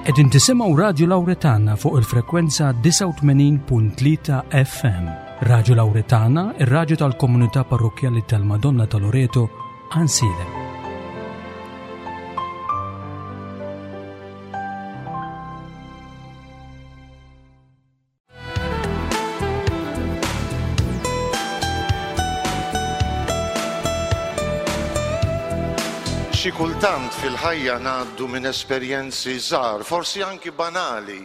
Qegħdin tisimgħu Radju Lawretana fuq il-frekwenza 89.3 FM. Radju Lawretana, ir-radju tal-komunità parrokkjali tal-Madonna ta' Loreto, Ansilem. Xi kultant fil-ħajja ngħaddu minn esperjenzi żgħar, forsi anki banali,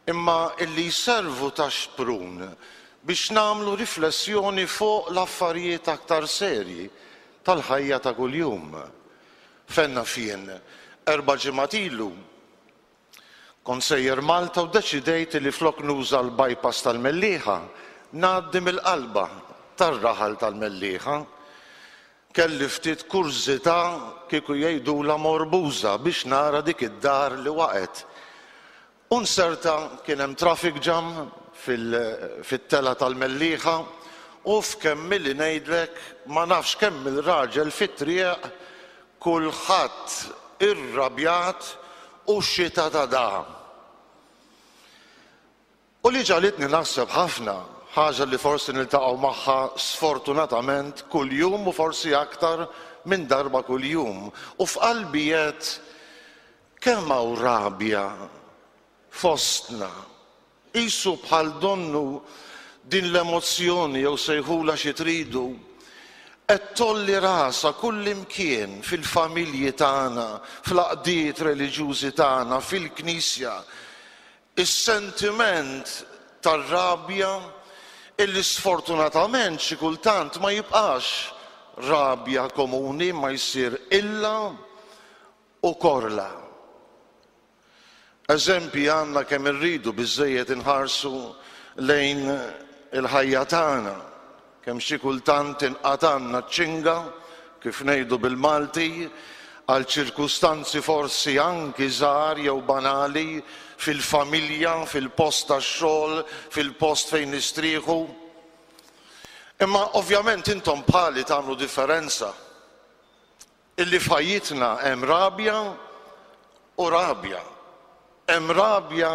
imma illi jservu ta' xprun biex nagħmlu riflessjoni fuq l-affarijiet aktar serji tal-ħajja ta' kuljum. Fejn naf jien, erba' ġimgħat ilu, Kont sejjer Malta u ddeċidejt li flok nuża l-bypass tal-Mellieħa, ngħaddi mill-qalba tar-raħal tal-Mellieħa. Kelli ftit kurżità kieku jgħidulha morbuża biex nara dik id-dar li waqgħet. U nserta kien hemm traffic jam fit-telgħa tal-Mellieħa u f'kemm ili ngħidlek ma nafx kemm-il raġel fit-triq Kulħadd irrabjat u xita ta' dagħa. U li ġagħlitni naħseb ħafna, ħaġa li forsi niltaqgħu magħha sfortunatament kuljum u forsi aktar minn darba kuljum, u f'qalbi għedt kemm hawn rabja fostna. Qisu bħal donnu din l-emozzjoni jew sejħulha xi tridu, qed tgħolli rasha kullimkien fil-familji tagħna, fl-għaqdiet reliġjużi tagħna, fil-Knisja. Is-sentiment tar-rabja illi sfortunatament xi kultant ma jibqax rabja komuni imma jsir qilla u korla. Eżempji għandna kemm irridu, biżżejjed inħarsu lejn il-ħajja tagħna, kemm xi kultant tinqatgħalna ċ-ċinga, kif ngħidu bil-Malti, għal ċirkustanzi forsi anki żgħar jew banali fil-familja, fil-post tax-xogħol, fil-post fejn nistrieħu. Imma ovvjament intom bħali tagħmlu differenza. Illi f'ħajjitna hemm rabja u rabja. Hemm rabja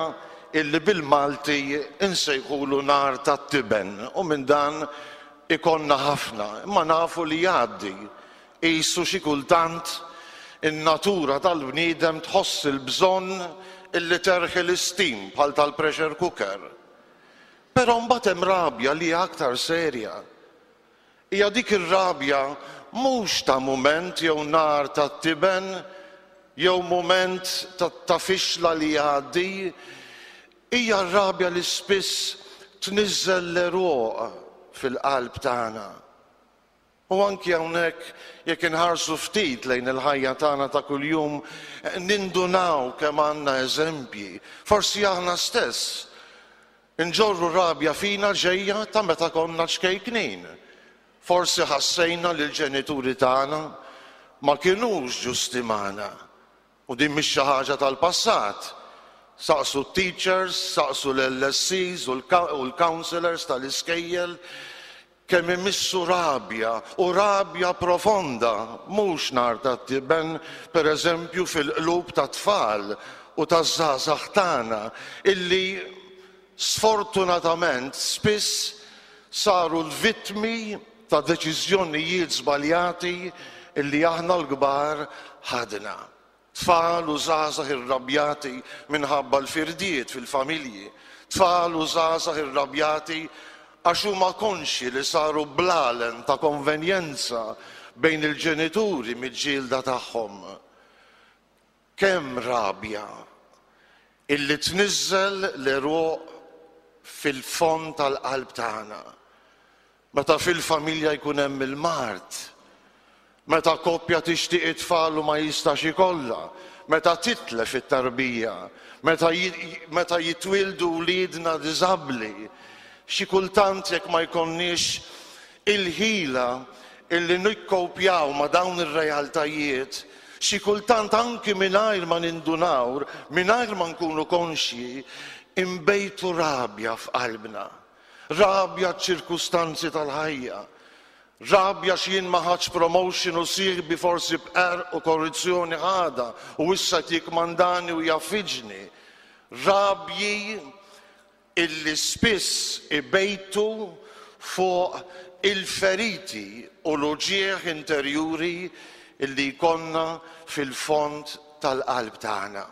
illi bil-Malti nsejħulu nar tat-tiben u minn dan ikollna ħafna, imma nafu li jgħaddi. Qisu xi kultant in-natura tal-bniedem tħoss il-bżonn illi terħi l-istim bħal tal-pressure cooker. Però mbagħad hemm rabja li hija aktar serja. Hija dik ir-rabja mhux ta' mument jew nar ta' tiben jew mument ta' fixla li jgħaddi, hija r-rabja li spiss tniżżel l-għeruq fil-qalb tagħna. U anki hawnhekk jekk inħarsu ftit lejn il-ħajja tagħna ta' kuljum nindunaw kemm għandna eżempji, forsi aħna stess Inġorru rabja fina ġejja ta' meta konna ċkejknin. Forsi ħassejna li l-ġenituri tagħna ma kinux ġusti magħna. U din mhix xi ħaġa tal-passat. Saqsu t-teachers, saqsu l-LSCs u l-counsellors tal-iskejjel Kemm imissu rabja, u rabja profonda, mhux nar tat-tiben, per eżempju, fil-qlub tat-tfal u taż-żgħażagħ tagħna, illi sfortunatament spiss saru l-vittmi ta' deċiżjonijiet żbaljati illi aħna l-kbar ħadna. Tfal u żgħażagħ irrabjati minħabba l-firdiet fil-familji. Tfal u żgħażagħ irrabjati għax huma konxji li saru blalen ta' konvenjenza bejn il-ġenituri miġġielda tagħhom. Kemm rabja illi tniżżel l-għeruq fil-fond tal-qalb tagħna. Meta fil-familja jkun hemm il-mard, meta koppja tixtieq it-tfal u ma jistax ikollha, meta titlef it-tarbija, meta meta jitwieldu wliedna diżabbli, xi kultant jekk ma jkollniex il-ħila illi nikkowpjaw ma' dawn ir-realtajiet, xi kultant anki mingħajr ma nindunaw, mingħajr ma nkunu konxji, inbejtu rabja f'qalbna. Rabja għaċ-ċirkustanzi tal-ħajja. Rabja għax jien ma ħadtx promotion u sieħbi forsi b'qerq u korruzzjoni ħadha u issa qed jikkmandani u jgħaffiġni. Rabji illi spiss ibejtu fuq il-feriti u l-uġigħ interjuri illi jkollna fil-fond tal-qalb tagħna.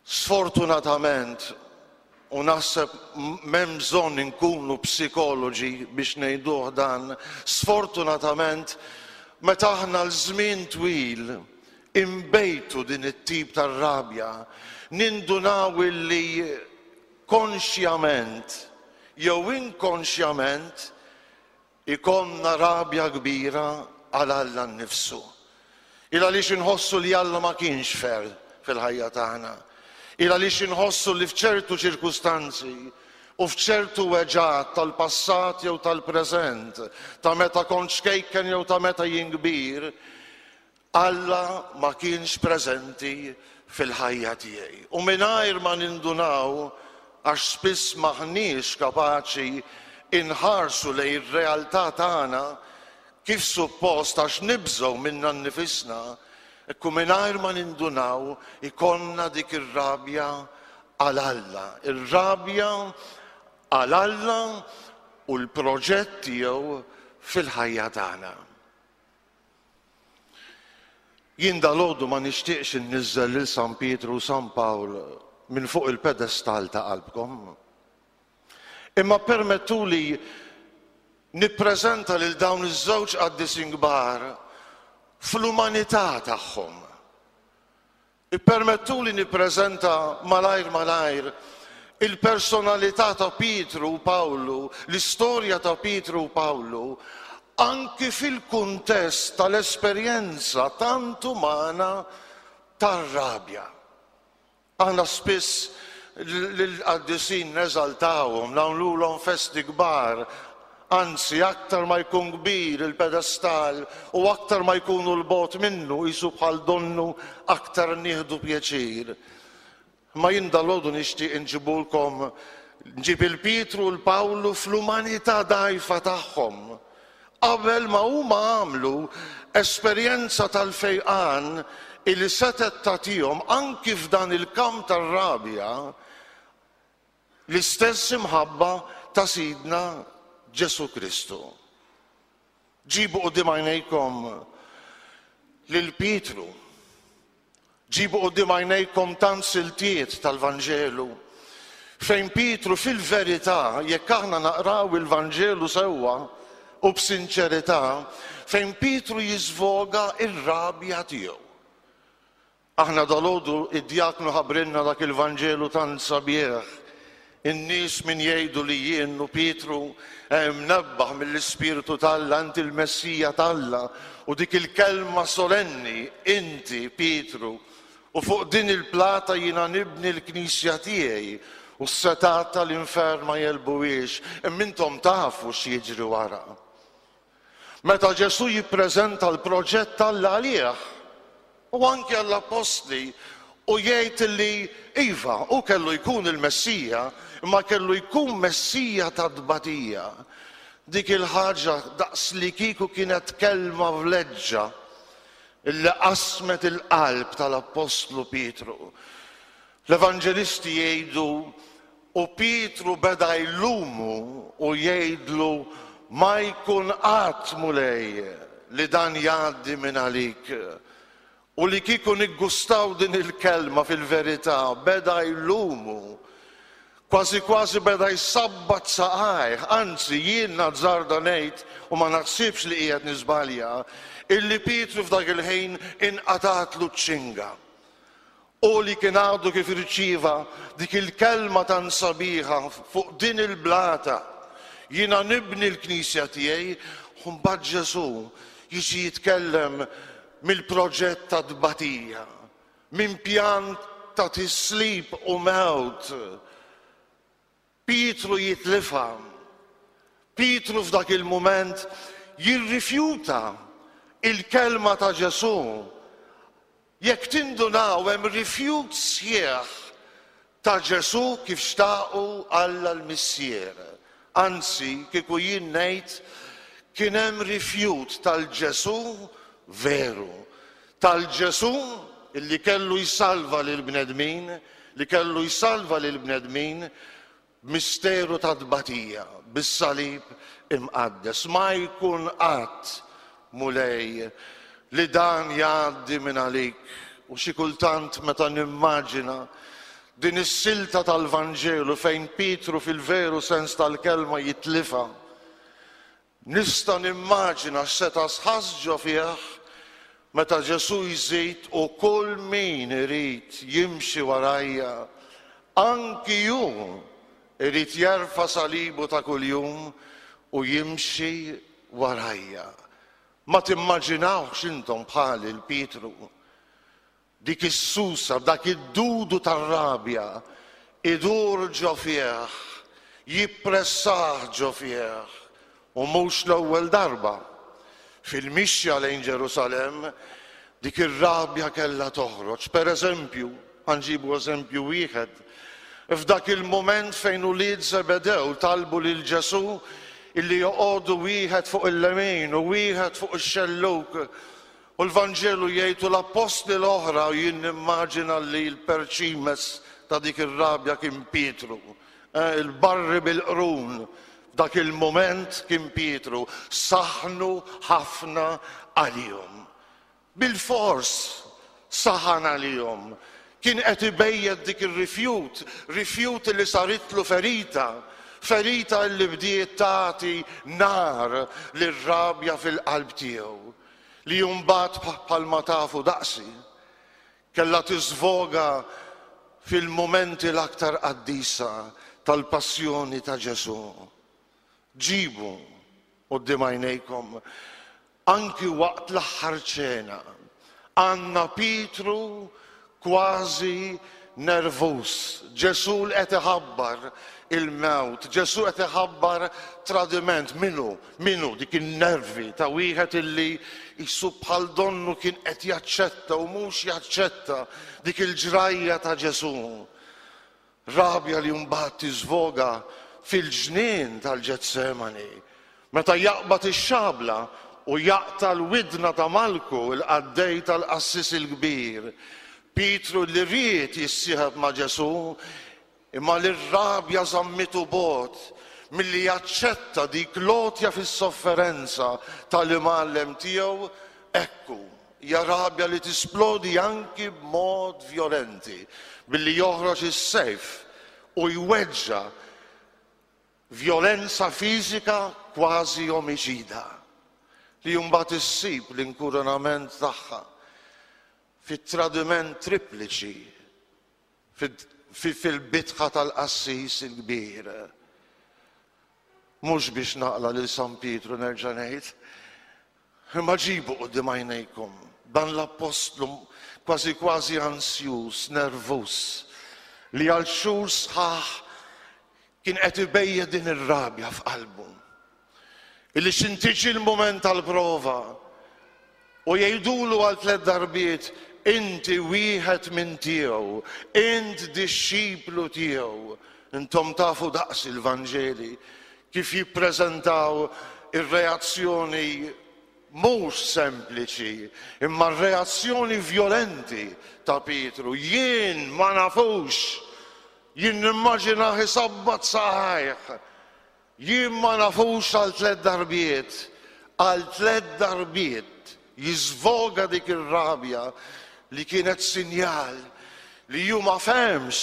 Sfortunatament, u naħseb m'hemm bżonn inkunu psikoloġi biex ngħiduh dan, sfortunatament meta aħna għal żmien twil inbejtu din it-tip ta' rabja, nindunaw illi konxjament jew inkonxjament Ikollna rabja kbira għal Alla nnifsu. Il għaliex inħossu li Alla ma kienx fair fil-ħajja tagħna. Il għaliex inħossu li f'ċertu ċirkustanzi u f'ċertu weġgħat tal-passat jew tal-preżent, ta' meta kont ċkejken jew ta' meta jien kbir, Alla ma kienx preżenti fil-ħajja tiegħi. U mingħajr ma nindunaw, għax spiss m'aħniex kapaċi inħarsu lejn ir-realtà tagħna kif suppost għax nibżgħu minna nnifisna, hekk u mingħajr ma nindunaw ikollna dik ir-rabja għal Alla. Ir-rabja għal Alla u l-proġett tiegħu fil-ħajja tagħna. Jien dalgħodu ma nixtieqx inniżżel lil San Pietru u San Pawl minn fuq il-pedestall ta' qalbkom. Imma ppermettuli nippreżenta lil dawn iż-żewġ qaddisin kbar fl-umanità tagħhom. Ippermettuli nippreżenta malajr malajr il-personalità ta' Pietru u Pawlu, l-istorja ta' Pietru u Pawlu, anki fil-kuntest tal-esperjenza tant umana tar-rabja. Aħna spiss lill-qaddisin neżaltawhom, nagħmlulhom festi kbar, Anzi, aktar ma jkun kbir il-pedestal u aktar ma jkunu 'l bogħod minnu, qisu bħal donnu aktar nieħdu pjaċir. Imma jien dalgħodu nixtieq inġibulkom, nġib 'il Pietru u 'l Pawlu fl-umanità dgħajfa tagħhom, qabel ma huma għamlu esperjenza tal-fejqan illi setgħet tagħtihom anki f'dan il-kamp tar-rabja, L-istess imħabba ta' Sidna Ġesù Kristu. Ġibu quddiem għajnejkom lil Pietru. Ġibu quddiem għajnejkom tant siltiet tal-Vanġelu fejn Pietru fil-verità, jekk aħna naqraw il-Vanġelu sewwa u b'sinċerità, fejn Pietru jiżvoga r-rabja tiegħu. Aħna dalgħodu id-djaknu ħabbrilna dak il-Vanġelu tant sabiħ. In-nies min jgħidu li jien u Pietru mnebbaħ mill-Ispirtu t'Alla, inti l-Messija t'Alla, u dik il-kelma solenni, inti Pietru, u fuq din il-plata jiena nibni l-knisja tiegħi, u s-setgħat tal-infern ma jegħlbuhiex. Imma intom tafu x'jiġri wara. Meta Ġesù jippreżenta l-proġett t'Alla għalih u anki għall-appostli u jgħid li iva, hu kellu jkun il-Messija, imma kellu jkun Messija ta' tbatija. Dik il-ħaġa daqslikieku kienet kelma vleġġa illi qasmet il-qalb tal-appostlu Pietru. L-Evanġelisti jgħidu U Pietru beda jlumu u jgħidlu, Ma jkun qatt, Mulej, li dan jgħaddi minn għalik. U li kieku niggustaw din il-kelma fil-verità, beda jlumu. Kważi kważi beda jsabbat saqajh, anzi jien nazzarda ngħid, u ma naħsibx li qiegħed niżbalja, illi Pietru f'dak il-ħin inqatgħatlu ċ-ċinga. Hu li kien għadu kif irċieva dik il-kelma tant sabiħa fuq din il-blata, Jiena nibni l-knisja tiegħi, u mbagħad Ġesù jiġi jitkellem mill-proġett ta' tbatija, minn pjan ta' tislib u mewt. Pietru jitlifha. Pietru f'dak il-mument jirrifjuta il-kelma ta' Ġesù. Jekk tindunaw hemm rifjut sħiħ ta' Ġesù kif xtaqu Alla l-Missier. Anzi, kieku jien ngħid, Kien hemm rifjut tal-Ġesù veru, tal-Ġesù li kellu jsalva lill-bnedmin, li kellu jsalva lill-bnedmin b'misteru ta' tbatija, bis-salib imqaddes. Ma jkun qatt, Mulej, li dan jgħaddi minn għalik. U xi kultant meta nimmaġina din is-silta tal-Vanġelu fejn Pietru fil-veru sens tal-kelma jitlifha, Nista' nimmaġina x'seta' ħass ġo fih meta Ġesù jżid u kull min irid jimxi warajja, anki hu jrid jerfa' salibu ta' kuljum u jimxi warajja. Ma timmaġinawhx intom bħali 'l Pietru? Dik is-susa, dak id-dudu tar-rabja idur ġo fih, jippressah ġo fih, u mhux l-ewwel darba. Fil-mixja lejn Ġerusalemm, dik ir-rabja kellha toħroġ. Per eżempju, ħa nġibu eżempju wieħed, f'dak il-mument fejn ulied Żebedew talbu lil Ġesù illi joqogħdu wieħed fuq il-lemin u wieħed fuq ix-xellug, U l-Vanġelu jgħid u l-appostli l-oħra, u jien nimmaġina li l-perċimes ta' dik ir-rabja kien Pietru. Eh, il-barri bil-qrun f'dak il-mument kien Pietru, saħnu ħafna għalihom. Bil-fors saħan għalihom. Kien qed ibejjet dik ir-rifjut, rifjut li saritlu ferita, ferita li bdiet tagħti nar lir-rabja fil-qalb tiegħu. li mbagħad bħalma tafu daqsi, kellha tiżvoga fil-mumenti l-aktar qaddisa tal-passjoni ta' Ġesù. Ġibu quddiem għajnejkom anki waqt l-aħħar ċena għandna Pietru kważi nervuż. Ġesù li qed iħabbar il-mewt, Ġesù qed iħabbar tradiment. Min hu? Min hu dik in-nervi ta' wieħed illi qisu bħal donnu kien qed jaċċetta u mhux jaċċetta dik il-ġrajja ta' Ġesù? Rabja li mbagħad tiżvoga fil-ġnien tal-Ġetsemani, meta jaqbad ix-xabla u jaqta' l-widna ta' Malku, il-qaddej tal-qassis il-kbir. Pietru li ried jissieħeb ma' Ġesù, imma li r-rabja żammitu bogħod milli jaċċetta dik l-għotja fis-sofferenza tal-Imgħallem tiegħu, hekk hu. Hija rabja li tisplodi anki b'mod vjolenti, billi joħroġ is-sejf u jweġġa' vjolenza fiżika kważi omiċida, li mbagħad issib l-inkurunament tagħha fit-tradiment tripliċi fil-bitħa tal-qassis il-kbir. Mhux biex naqla' lil San Pietru nerġa' ngħid, imma ġibu quddiem għajnejkom dan l-appostlu kważi kważi ansjuż, nervuż, li għal xhur sħaħ kien qed ibejjet din ir-rabja f'qalbu. Illi x'in tiġi l-mument tal-prova u jgħidulu għal tlett darbiet inti wieħed minn tiegħu, int dixxiplu tiegħu. Intom tafu daqs il-Vanġeli kif jippreżentaw ir-reazzjoni mhux sempliċi, imma r-reazzjoni vjolenti ta' Pietru. Jien ma nafux, jien nimmaġinah isabbat saqajh. Jien ma nafux għal tlett darbiet, għal tlett darbiet jiżvoga dik ir-rabja li kienet sinjal li hu ma fehemx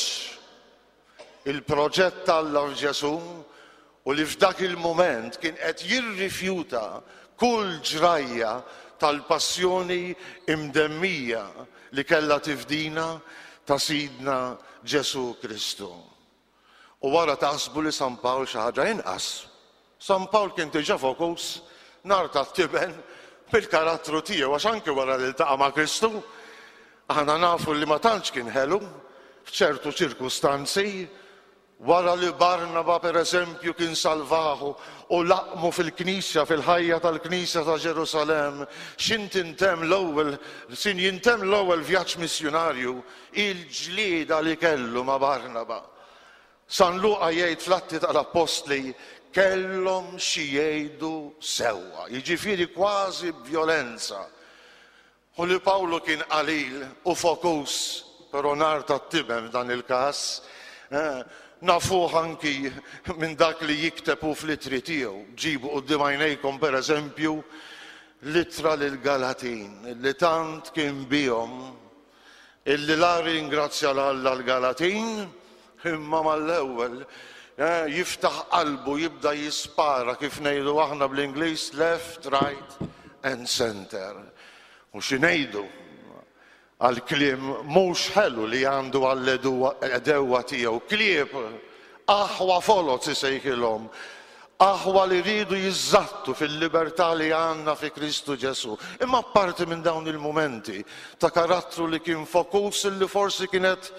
il-proġett t'Alla f'Ġesù u li f'dak il-mument kien qed jirrifjuta kull ġrajja tal-passjoni imdemmija li kellha tifdina ta' Sidna Ġesù Kristu. U wara taħsbu li San Pawl xi ħaġa inqas. San Pawl kien diġà fokus nar tat-tiben bil-karattru tiegħu għax anki wara li ltaqa' ma' Kristu, aħna nafu li ma tantx kien ħelu f'ċertu ċirkustanzi, wara li Barnaba pereżempju kien salvahu u laqmu fil-knisja, fil-ħajja tal-knisja ta' Ġerusalemm, x'int intemm l-ewwel, sin jintemm l-ewwel vjaġġ missjunarju, Il-ġlieda li kellu ma' Barnaba. San Luqa jgħid fl-Atti tal-Appostli, kellhom xi jgħidu sewwa, jiġifieri kważi b'vjolenza. U li Pawlu kien qalil u fokus, però nar tat-tiben f'dan il-każ, nafuh anki minn dak li jikteb hu fl-ittri tiegħu. Ġibu quddiem għajnejkom, per eżempju, l-ittra lill-Galatin, li tant kien bihom illi la rringrazzja 'l Alla l-Galatin, imma mal-ewwel jiftaħ qalbu jibda jispara kif ngħidu aħna bl-Ingliż left, right and center. U xi ngħidu għall-kliem mhux ħelu li għandu għall-għedewwa tiegħu, klieb, aħwa foloz isejħilhom, aħwa li riedu jiżżattu fil-libertà li għandna fi Kristu Ġesù. Imma apparti minn dawn il-mumenti ta' karattru li kien fokus li forsi kienet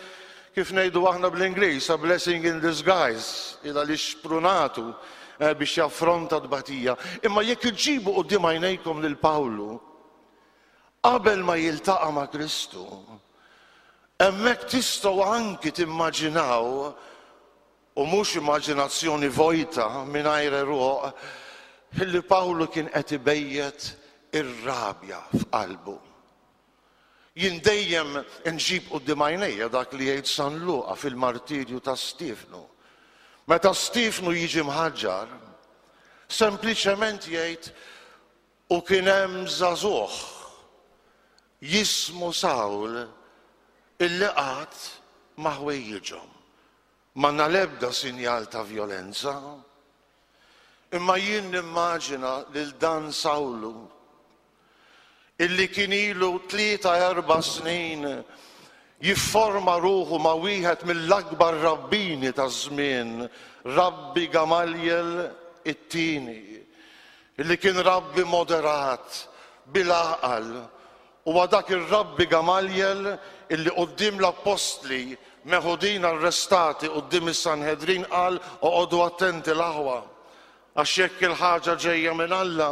kif ngħidu aħna bl-Ingliż, a blessing in disguise, il għaliex xprunatu eh, biex jaffronta tbatija. Imma jekk iġibu quddiem għajnejkom lil Pawlu, qabel ma jiltaqa' ma' Kristu, hemmhekk tistgħu anki timmaġinaw u mhux immaġinazzjoni vojta mingħajr għeruq, li Pawlu kien qed ibejjet ir-rabja f'qalbu. Jien dejjem inġib quddiem għajnejja dak li jgħid San Luqa fil-martirju ta' Stiefnu. Meta Stiefnu jiġi mħaġġar, sempliċement jgħid u kien hemm żagħżugħ jismu Sawl illi qagħad ma' ħwejjiġhom. M'għandna l-ebda sinjal ta' vjolenza. Imma jien nimmaġina lil dan Sawlu illi kien ilu tlieta erba' snin jifforma ruħu ma' wieħed mill-akbar rabbini taż-żmien, Rabbi Gamaljel it-Tieni, illi kien rabbi moderat, bil-għaqal, Huwa dak ir-Rabbi Gamaljel illi quddiem l-appostli meħudin arrestati quddiem is-Sanhedrin qal, Oqogħdu attenti l-aħwa, għax jekk il-ħaġa ġejja minn Alla,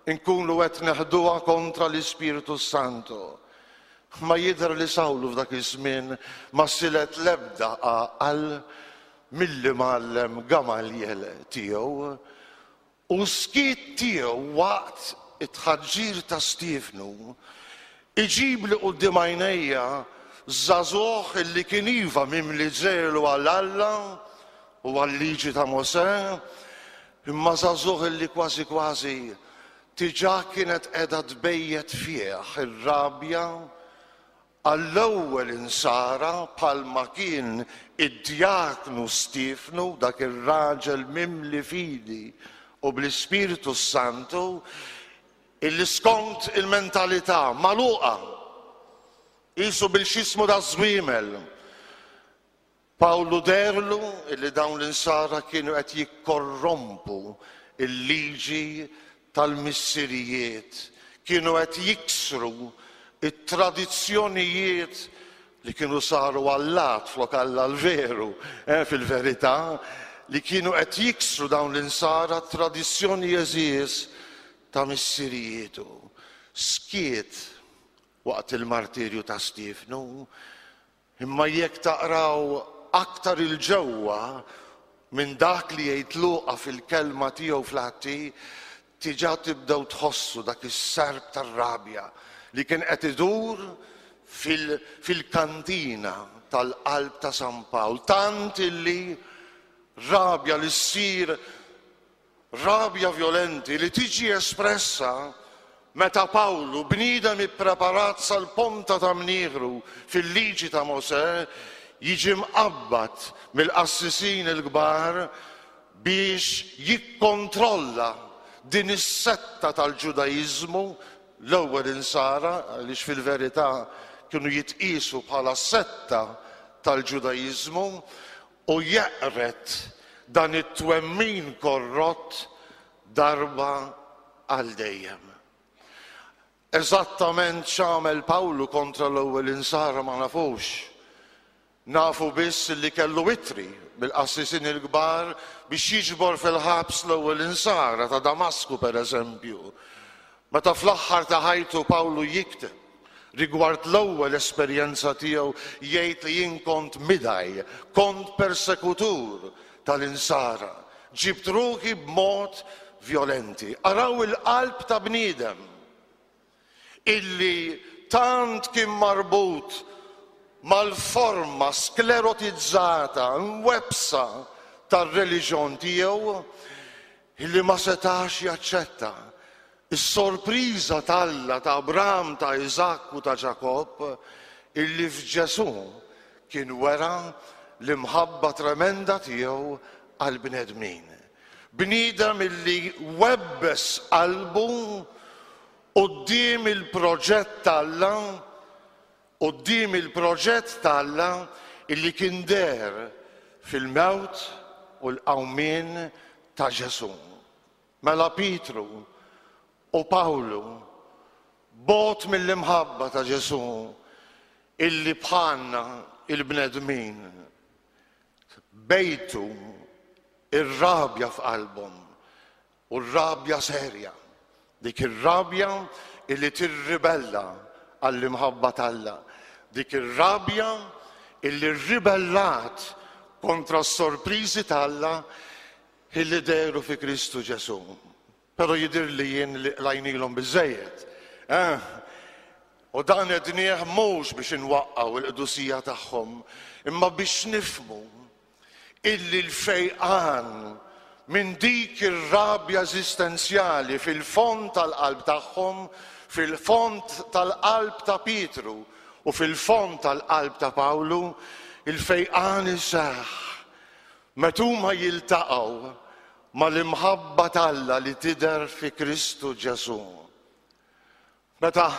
inkunu qed neħduha kontra l-Ispirtu s-Santu. Ma jidher li Sawlu f'dak iż-żmien ma silet l-ebda għaqal mill-imgħallem Gamaljel tiegħu. U s-skiet tiegħu waqt it-tħaġġir ta' Stiefnu jġibli quddiem għajnejja żagħżugħ illi kien iva mimli żelu għal Alla u għal-liġi ta' Mosè, imma żagħżugħ illi kważi kważi diġà kienet qiegħda tbejjet fih ir-rabja Għall-ewwel insara bħalma kien id-djaknu Stiefnu, dak ir-raġel mimli fidi u bl-Ispirtu s-Santu, illi skont il-mentalità magħluqa, qisu bil-x'jismu taż-żwiemel, Pawlu deherlu li dawn l-Insara kienu qed jikkorrompu l-liġi tal-missirijiet, kienu qed jiksru t-tradizzjonijiet li kienu saru allat flok Alla l-veru, eh, fil-verità, li kienu qed jiksru dawn l-Insara t-tradizzjoni għeżież ta' missirijietu. Skiet waqt il-martirju ta' Stiefnu, Imma jekk taqraw aktar 'il ġewwa minn dak li jgħid Luqa fil-kelma tiegħu fl-Atti, diġà tibdew tħossu dak is-serp tar-rabja li kien qed idur fil-kantina tal-qalb ta' San Pawl, tant illi rabja li ssir Rabja vjolenti li tiġi espressa meta Pawlu, bniedem ippreparat sal-ponta ta' mnieħru fil-Liġi ta' Mosè, jiġi mqabbad mill-qassisin il-kbar biex jikkontrolla din is-setta tal-Ġudaiżmu, l-ewwel Insara, għaliex fil-verità kienu jitqiesu bħala setta tal-Ġudaiżmu, u jeqred dan it-twemmin korrott darba għal dejjem. Eżattament x'għamel Pawlu kontra l-ewwel Insara ma nafux. Nafu biss li kellu ittri mill-qassisin il-kbar biex jiġbor fil-ħabs l-ewwel Insara ta' Damasku pereżempju. Meta fl-aħħar ta' ħajtu Pawlu jikteb Rigward l-ewwel esperjenza tiegħu jgħid li jien kont midgħi, kont persekutur tal-Insara. Ġibt ruħi b'mod vjolenti. Araw il-qalb ta' bniedem illi tant kien marbut mal-forma sklerotizzata, mwebbsa tar-reliġjon tiegħu illi ma setax jaċċetta is-sorpriża t'Alla ta' Abram, ta' Iżakk u ta' Ġakobb illi f'Ġesù kien wera l-imħabba tremenda tiegħu għall-bnedmin. Bniedem illi webbes qalbu quddiem il-proġett t'Alla, quddiem il-proġett t'Alla illi kien deher fil-mewt u l-qawmien ta' Ġesù. Mela Pietru u Pawlu bogħod mill-imħabba ta' Ġesù illi bħalna il-bnedmin bejtu ir-rabja f'qalbhom u r-rabja serja, dik ir-rabja illi tirribella għall-imħabba t'Alla, dik ir-rabja illi rribellat kontra s-sorpriżi t'Alla illi dehru fi Kristu Ġesù. Però jidhirli jien li qlajnilhom biżżejjed. Eh? U dan għednieh mhux biex inwaqqgħu l-qdusija tagħhom, imma biex nifhmu illi l-fejqan minn dik ir-rabja eżistenzjali fil-fond tal-qalb tagħhom, fil-fond tal-qalb ta' Pietru u fil-fond tal-qalb ta' Pawlu, il-fejqan iseħħ meta huma jiltaqgħu mal-imħabba t'Alla li tidher fi Kristu Ġesù. Meta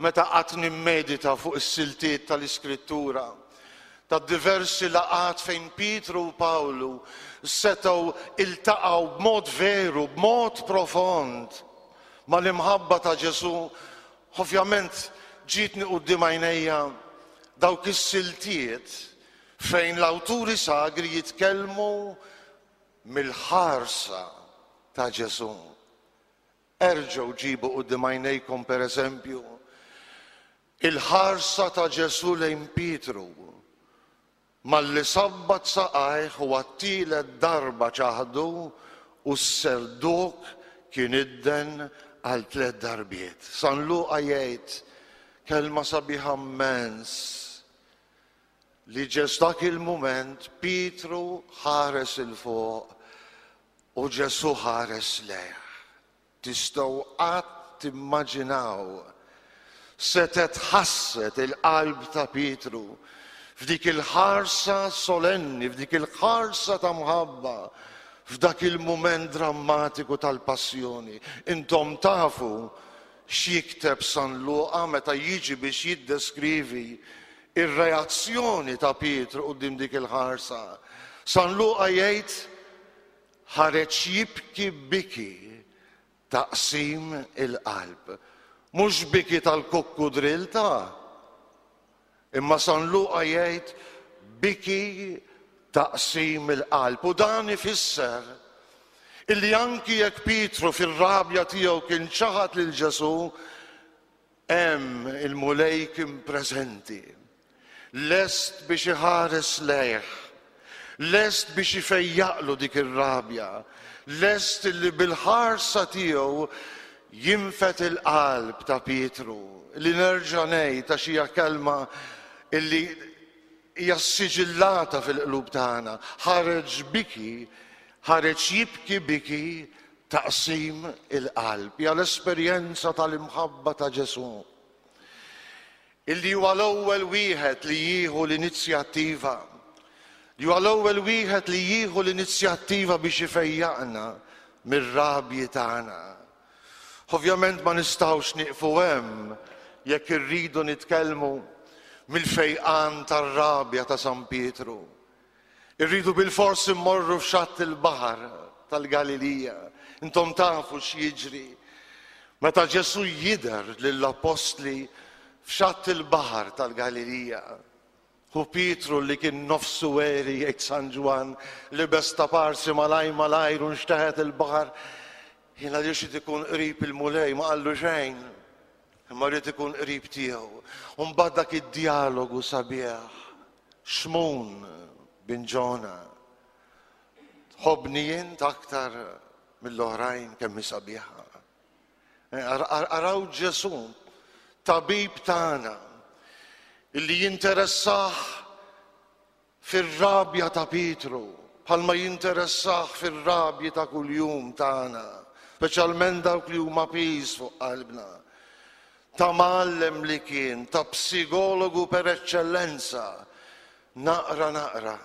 meta qatt nimmedita fuq is-siltiet tal-Iskrittura, ta' diversi laqgħat fejn Pietru u Pawlu setgħu iltaqgħu b'mod veru, b'mod profond mal-imħabba ta' Ġesù, ovvjament ġietni quddiem għajnejja dawk is-siltiet fejn l-awturi sagri jitkellmu mill-ħarsa ta' Ġesù. Erġgħu ġibu quddiem għajnejkom, per eżempju, il-ħarsa ta' Ġesù lejn Pietru malli sabbat saqajh u għat-tielet darba ċaħdu u s-serduk kien idden għal tliet darbiet. San Luqa jgħid kelma sabiħa mmens li ġes dak il-mument Pietru ħares 'il fuq u Ġesù ħares lejh. Tistgħu qatt timmaġinaw setgħet ħasset il-qalb ta' Pietru f'dik il-ħarsa solenni, f'dik il-ħarsa ta' mħabba, f'dak il-mument drammatiku tal-passjoni. Intom tafu x'jikteb San Luqa meta jiġi biex jiddeskrivi r-reazzjoni ta' Pietru quddiem dik il-ħarsa. San Luqa jgħid ħareġ jibki biki ta' qsim il-qalb. Mhux biki tal-kukkudrill ta' imma San Luqa jgħid biki ta' qsim il-qalb. U dan ifisser illi anki jekk Pietru fir-rabja tiegħu kien ċaħad lil Ġesù, Hemm il-Mulej kien preżenti, lest biex iħares lejh, lest biex ifejjaqlu dik ir-rabja, lest illi bil-ħarsa tiegħu jinfed il-qalb ta' Pietru, li nerġa' ngħid għax hija kelma illi hija ssiġillata fil-qlub tagħna, ħareġ biki, ħareġ jibki biki ta' qsim il-qalb. Hija l-esperjenza tal-imħabba ta' Ġesù. Illi huwa l-ewwel wieħed li jieħu l-inizjattiva. Li huwa l-ewwel wieħed li jieħu l-inizjattiva biex ifejjaqna mir-rabji tagħna. Ovvjament ma nistgħux nieqfu hemm jekk irridu nitkellmu mill-fejqan tar-rabja ta' San Pietru. Irridu bilfors immorru f'xatt il-baħar tal-Galilija. Intom tafu x'jiġri meta Ġesù jidher lill-appostli f'xatt il-baħar tal-Galilija. Hu Pietru li kien nofsu għeri jgħid San Ġwann libes ta' parsi malaj malajr u nxteħet il-baħar. Jien għaliex irid ikun qrib il-Mulej ma qallu xejn. Imma rrid ikun qrib tiegħu. U mbagħad dak id-djalogu sabiħ. Xmun bin Ġona, Tħobbni int aktar mill-oħrajn kemm hi sabiħa. Araw Ġesù, tabib tagħna, illi jinteressah fir-rabja ta' Pietru, bħalma jinteressah fir-rabji ta' kuljum tagħna, speċjalment dawk li huma piż fuq qalbna. Ta' mgħallem li kien, ta' psikologu per eċċellenza, Naqra naqra,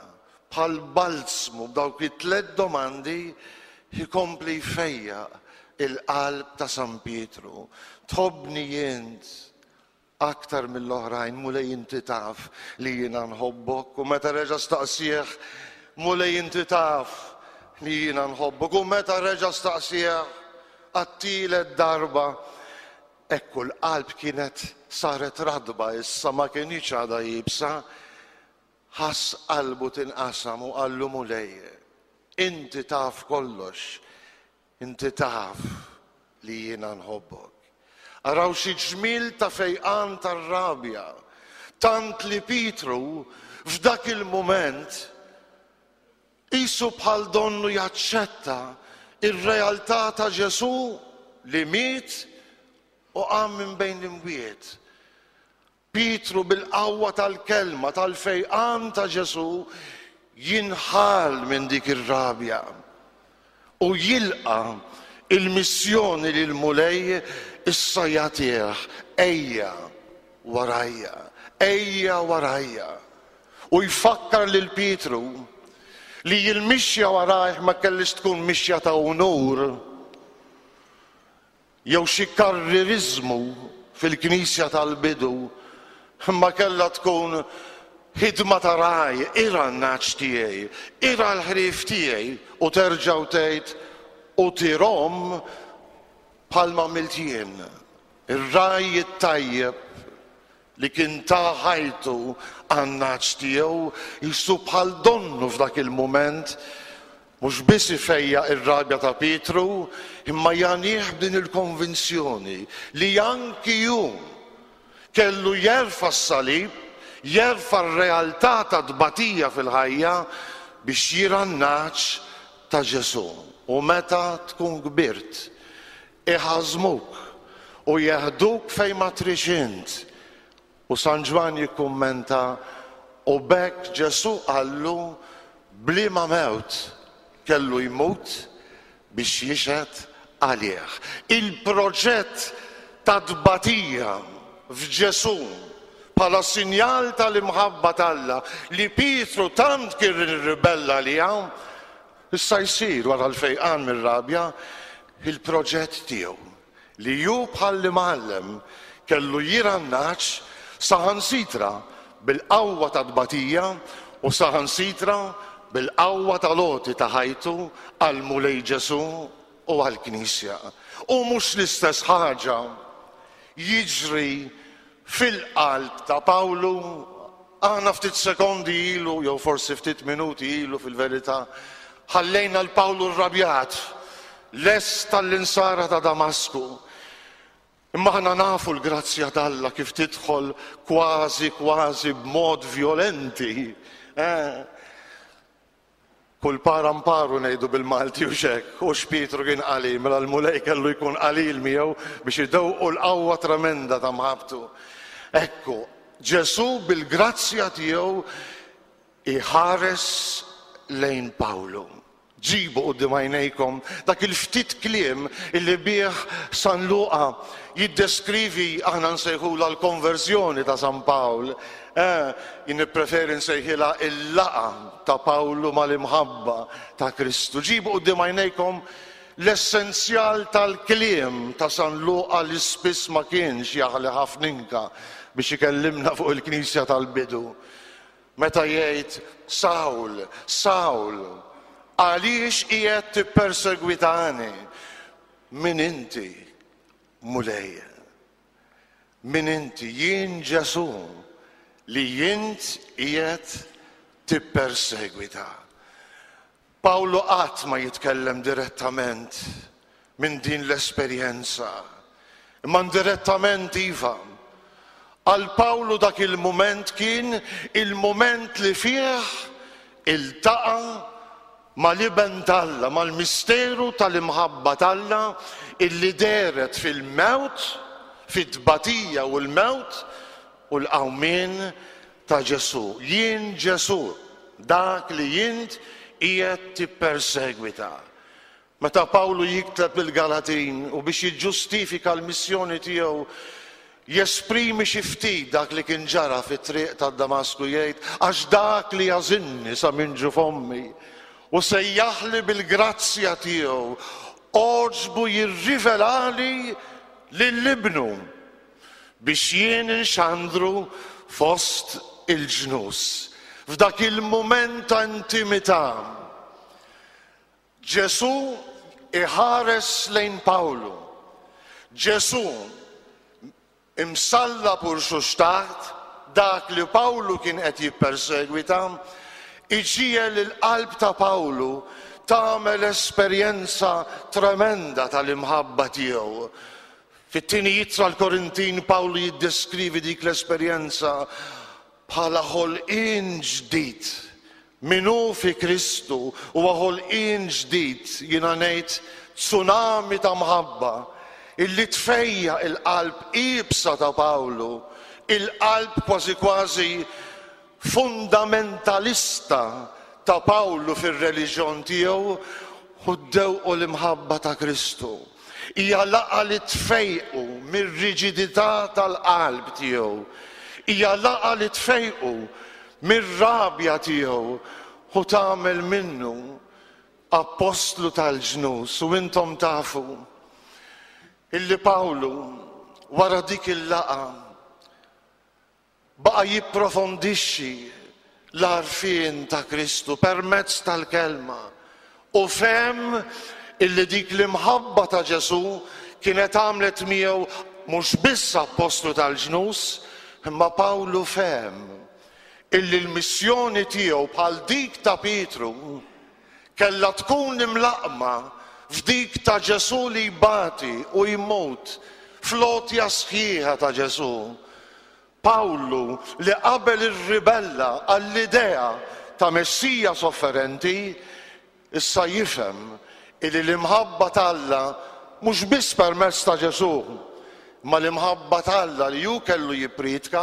bħal balzmu b'dawk it-tlett domandi jkompli jfejjaq il-qalb ta' San Pietru. Tħobbni int aktar mill-oħrajn, Mulej inti taf li jiena nħobbok. U meta reġa' staqsieh, Mulej inti taf li jiena nħobbok. U meta reġa' staqsieh għat-tielet darba, Ekku l-qalb kienet saret ratba issa ma kinitx għadha iebsa. Ħass qalbu tinqasam u qallu, Mulej, inti taf kollox, inti taf li jiena nħobbok. Araw xi ġmiel ta' fejqan tar-rabja, tant li Pietru f'dak il-mument Qisu bħal donnu jaċċetta r-realtà ta' Ġesù li miet u qam minn bejn l-imwiet. Pietru bil-qawwa tal-kelma tal-fejqan ta' Ġesù jinħall minn dik ir-rabja u jilqa' il-missjoni li l-Mulej issa jagħtih, Ejja warajja, ejja warajja. U jfakkar lil Pietru li l-mixja warajh ma kellhiex tkun mixja ta' unur jew xi karririżmu fil-Knisja tal-bidu, imma kellha tkun ħidma ta' ragħaj, irgħa n-nagħaġ tiegħi, irgħa l-ħrief tiegħi, u terġa' u tgħid, u tirhom bħalma għamilt jien. Ir-ragħaj it-tajjeb li kien ta ħajtu għan-nagħaġ tiegħu, qisu bħal donnu f'dak il-mument mhux biss ifejjaq ir-rabja ta' Pietru, imma jagħnih b'din il-konvinzjoni li anki hu kellu jerfa' s-salib, jerfa' r-realtà tat-tbatija fil-ħajja biex jirgħa n-nagħaġ ta' Ġesù. U meta tkun kbirt, Iħażżmuk u jeħduk fejn ma tridx int. U San Ġwann jikkummenta, U b'hekk Ġesù qallu b'liema mewt kellu jmut biex jixhed għalih. Il-proġett ta' tbatija f'Ġesù bħala sinjal tal-imħabba t'Alla li Pietru tant kien irribella għaliha, Issa jsir, wara l-fejqan mir-rabja, il-proġett tiegħu, li hu bħall-imgħallem kellu jirgħa n-nagħaġ saħansitra bil-qawwa tat-tbatija u saħansitra bil-qawwa tal-għoti ta' ħajtu għall-Mulej Ġesù u għall-Knisja. U mhux l-istess ħaġa jiġri Fil-qalb ta' Pawlu, aħna ftit sekondi ilu, jew forsi ftit minuti ilu fil-verità, ħallejna 'l Pawlu rrabjat, lest għall-insara ta' Damasku. Imma aħna nafu l-grazzja t'Alla kif tidħol kważi kważi b'mod vjolenti. Eh? Kull para mparu ngħidu bil-Malti hux hekk? Hux Pietru kien qalil, mela l-Mulej kellu jkun qalil miegħu biex idewqu l-qawwa tremenda ta' mħabbtu. Ekku, Ġesù bil-grazzja tiegħu jħares lejn Pawlu. Ġibu quddiem għajnejkom dak il-ftit kliem illi bih San Luqa jiddeskrivi aħna nsejħulha l-konverżjoni ta' San Pawl. Eh, jien nippreferi nsejħilha il-laqgħa ta' Pawlu mal-imħabba ta' Kristu. Ġibu quddiem għajnejkom l-essenzjal tal-kliem ta' San Luqa li spiss ma kienx jaħli ħafna inka biex ikellimna fuq il-Knisja tal-bidu. Meta jgħid, Sawl, Sawl, għaliex qiegħed tippersegwitani? Min inti, Mulej? Min inti? Jien Ġesù li int qiegħed tippersegwita. Pawlu qatt ma jitkellem direttament minn din l-esperjenza, imma indirettament iva. Għal Pawlu dak il-mument kien il-mument li fih iltaqa' mal-Iben t'Alla, mal-misteru tal-imħabba t'Alla illi dehret fil-mewt, fit-tbatija u l-mewt u l-qawmien ta' Ġesù. Jien Ġesù, dak li int qiegħed tippersegwita. Meta Pawlu jikteb lill-Galatin u biex jiġġustifika l-missjoni tiegħu jesprimi xi ftit dak li kien ġara fit-triq ta' Damasku jgħid, Għax dak li għażilni sa minn ġuf ommi u sejjaħli bil-grazzja tiegħu għoġbu jirrivelali lil Ibnu biex jien inxandru fost il-ġnus. F'dak il-mument ta' intimità, Ġesù iħares lejn Pawlu. Ġesù, imsallab u rxuxtat, dak li Pawlu kien qed jippersegwita, iġiegħel il-qalb ta' Pawlu tagħmel esperjenza tremenda tal-imħabba tiegħu. Fit-tieni ittra l-Korintin Pawlu jiddeskrivi dik l-esperjenza bħala ħolqien ġdid. Min hu fi Kristu huwa ħolqien ġdid, jiena ngħid tsunami ta' mħabba illi tfejjaq il-qalb iebsa ta' Pawlu, il-qalb kważi kważi fundamentalista ta' Pawlu fir-reliġjon tiegħu u ddewqu l-imħabba ta' Kristu. Hija laqgħa li tfejqu mir-riġidità tal-qalb tiegħu. Hija laqgħa li tfejqu mir-rabja tiegħu u tagħmel minnu appostlu tal-ġnus. U intom tafu illi Pawlu wara dik il-laqgħa Baqa' jipprofondixxi l-għarfien ta' Kristu permezz tal-Kelma u fehem illi dik l-imħabba ta' Ġesù kienet għamlet miegħu mhux biss appostlu tal-ġnus, imma Pawlu fehem illi l-missjoni tiegħu bħal dik ta' Pietru kellha tkun imlaqqma f'dik ta' Ġesù li jbati u jmut fl-għotja sħiħa ta' Ġesù. Pawlu, li qabel irribella għall-idea ta' Messija sofferenti, issa jifhem illi l-imħabba t'Alla mhux biss permezz ta' Ġesù, imma l-imħabba t'Alla li hu kellu jippriedka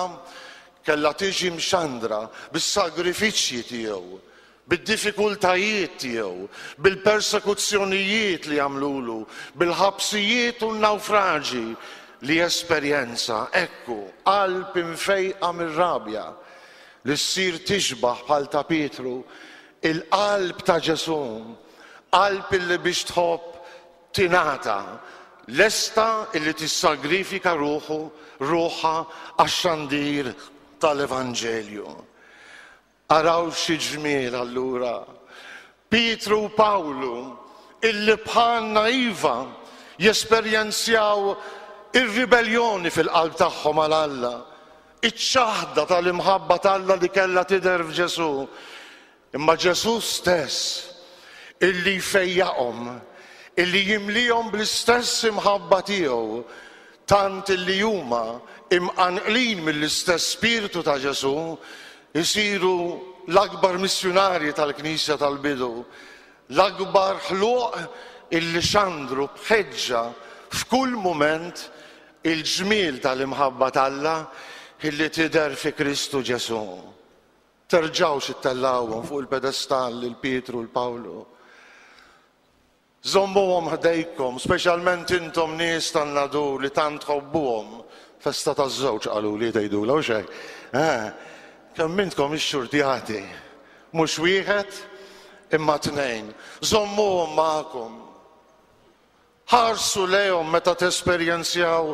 kellha tiġi mxandra bis-sagrifiċċji tiegħu, bid-diffikultajiet tiegħu, bil-persekuzzjonijiet li għamlulu, bil-ħabsijiet u n-nawfraġi li esperjenza, ekku, qalb imfejqa mir-rabja, li ssir tixbah bħal ta' Pietru, il-qalb ta' Ġesù, qalb illi biex tħobb tingħata, lesta illi tissagrifika ruħu, ruħha għax-xandir tal-Evanġelju. Araw xi ġmiel allura! Pietru u Pawlu, illi bħalna iva, jesperjenzjaw ir-ribelljoni fil-qalb tagħhom għal Alla, iċ-ċaħda tal-imħabba t'Alla li kellha tidher f'Ġesù, imma Ġesù stess, illi jfejjaqhom, illi jimlihom bl-istess imħabba tiegħu, tant illi huma, imqanqlin mill-istess Spirtu ta' Ġesù, isiru l-akbar missjunarji tal-Knisja tal-bidu, l-akbar ħluq illi xandru b'ħeġġa f'kull mument il-ġmiel tal-imħabba t'Alla illi tidher fi Kristu Ġesù. Terġgħux ittellgħuhom fuq il-pedestall lil Pietru u l-Pawlu. Żommuhom ħdejkom, speċjalment intom nies tan-Nadur li tant tħobbuhom. Festa taż-żewġ qaluli tgħidulha, hux hekk? Eh, kemm intkom ixxurtjati. Mhux wieħed, imma tnejn. Żommuhom magħkom. Ħarsu lejhom meta tesperjenzjaw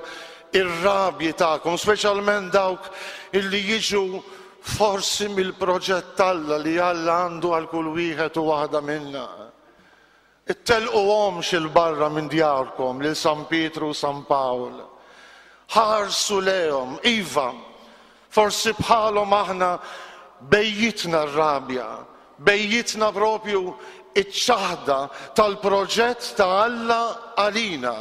ir-rabji tagħkom, speċjalment dawk illi jiġu forsi mill-proġett t'Alla li Alla għandu għal kull wieħed u waħda minna. Ittelquhomx 'il barra minn djarkom lil San Pietru u San Pawl. Ħarsu lejhom, iva, forsi bħalhom aħna bejjitna r-rabja, bejjitna propju ċ-ċaħda tal-proġett ta' Alla għalina,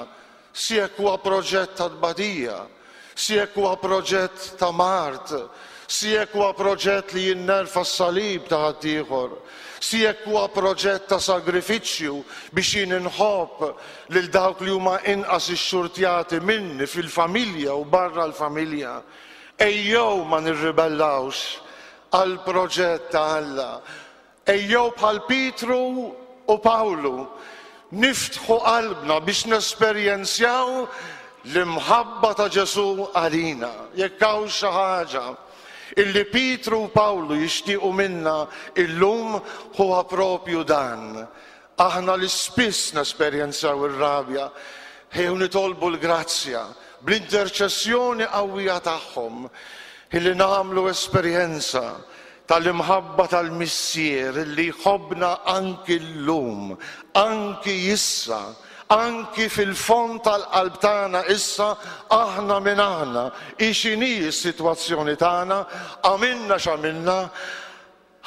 si jekk huwa proġett ta' tbatija, si jekk huwa proġett ta' mard, Si jekk huwa proġett li jien nerfa' s-salib ta' ħaddieħor, si jekk huwa proġett ta' sagrifiċċju biex jien inħobb lil dawk li huma inqas ixxurtjati minni fil-familja u barra l-familja, ejjew ma nirribellawx għall-proġett ta' Alla. Ejjew bħal Pietru u Pawlu niftħu qalbna biex nesperjenzjaw l-imħabba ta' Ġesù għalina. Jekk hawn xi ħaġa illi Pietru u Pawlu jixtiequ minna illum huwa propju dan. Aħna li spiss nesperjenzaw ir-rabja, ejjew nitolbu l-grazzja bl-interċessjoni qawwija tagħhom illi nagħmlu esperjenza tal-imħabba tal-Missier li jħobbna anki llum, anki issa, anki fil-fond tal-qalb tagħna issa, aħna min aħna, hi x'inhi s-sitwazzjoni tagħna, għamilna x'għamilna,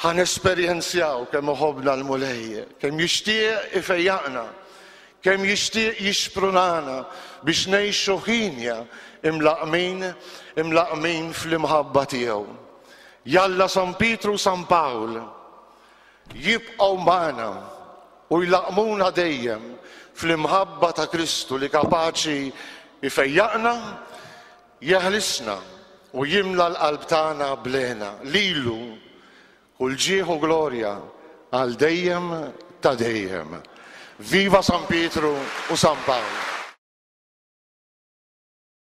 ħa nesperjenzjaw kemm iħobbna l-Mulej, kemm jixtieq ifejjaqna, kemm jixtieq jixprunana biex ngħixu ħinja imlaqqmin, imlaqqmin fl-imħabba tiegħu. Jalla San Pietru u San Pawl jibqgħu magħna u jlaqqmuna dejjem fl-imħabba ta' Kristu li kapaċi jfejjaqna, jeħlisna u jimla l-qalb tagħna bl-hena. Lilu kull ġieħ u glorja għal dejjem ta' dejjem. Viva San Pietru u San Pawl!